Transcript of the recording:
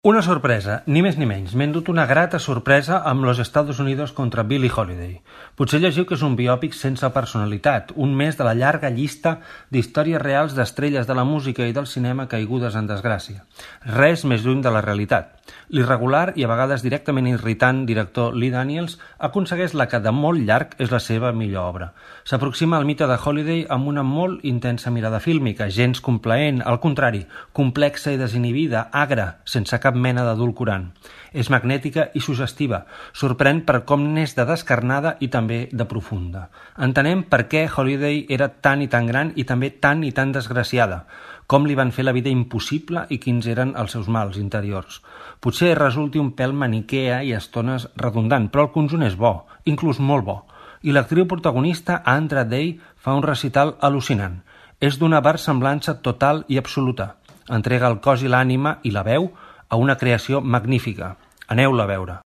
Una sorpresa, ni més ni menys. M'he endut una grata sorpresa amb Los Estados Unidos contra Billie Holiday. Potser llegiu que és un biòpic sense personalitat, un més de la llarga llista d'històries reals d'estrelles de la música i del cinema caigudes en desgràcia. Res més lluny de la realitat. L'irregular i a vegades directament irritant director Lee Daniels aconsegueix la que de molt llarg és la seva millor obra. S'aproxima al mite de Holiday amb una molt intensa mirada fílmica, gens complaent, al contrari, complexa i desinhibida, agra, sense cap mena d'edulcorant. És magnètica i suggestiva, sorprèn per com n'és de descarnada i també de profunda. Entenem per què Holiday era tan i tan gran i també tan i tan desgraciada, com li van fer la vida impossible i quins eren els seus mals interiors. Potser resulti un pèl maniquea i a estones redundant, però el conjunt és bo, inclús molt bo. I l'actriu protagonista, Andra Day, fa un recital al·lucinant. És d'una versemblança total i absoluta. Entrega el cos i l'ànima i la veu a una creació magnífica. Aneu-la a veure.